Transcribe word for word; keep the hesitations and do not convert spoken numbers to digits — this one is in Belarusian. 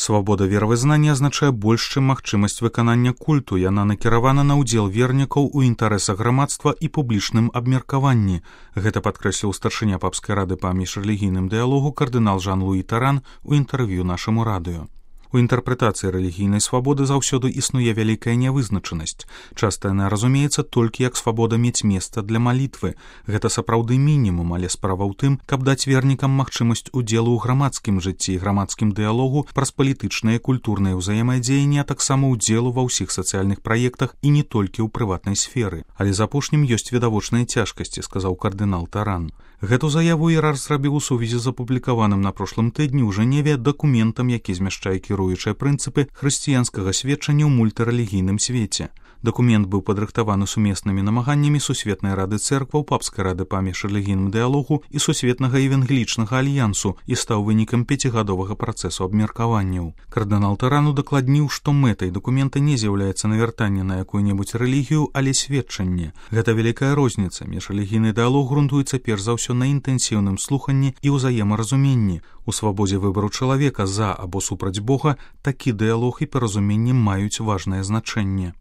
Свабода веравызнання азначае больш, чым магчымасць выканання культу. Яна накіравана на ўдзел вернікаў у інтарэсах грамадства і публічным абмеркаванні. Гэта падкрэсліў старшыня папскай рады па міжрэлігійным дыялогу кардынал Жан-Луі Таран у інтэрв'ю нашаму радыё. У інтэрпрэтацыі рэлігійнай свабоды заўсёды існуе вялікая нявызначанасць. Часта яна разумеецца толькі як свабода мець месца для малітвы. Гэта сапраўды мінімум, але справа ў тым, каб даць вернікам магчымасць удзелу ў грамадскім жыцці і грамадскім дыялогу праз палітычнае і культурнае ўзаемадзеянне, а таксама ўдзелу ва ўсіх сацыяльных праектах і не толькі ў прыватнай сферы. Але з апошнім ёсць відавочныя цяжкасці, сказаў кардынал Таран. Гэту заяву іерарх зрабіў у сувязі з апублікаваным на прошлым тыдні ў Жэневе дакументам, які змяшчае кіруючыя прынцыпы хрысціянскага сведчання ў мультырэлігійным свеце. Дакумент быў падрыхтаваны сумеснымі намаганнямі Сусветнай рады цэркваў, Папскай рады па міжрэлігійным дыялогу і Сусветнага евангелічнага альянсу і стаў вынікам пяцігадовага працэсу абмеркаванняў. Кардынал Таран удакладніў, што мэтай дакумента не з'яўляецца навяртанне на якую-небудзь рэлігію, але сведчанне. Гэта вялікая розніца. Міжрэлігійны дыялог грунтуецца перш за ўсё на інтэнсіўным слуханні і ўзаемаразуменні. У свабодзе выбару чалавека за або супраць Бога такі дыялог і паразуменне маюць важнае значэнне.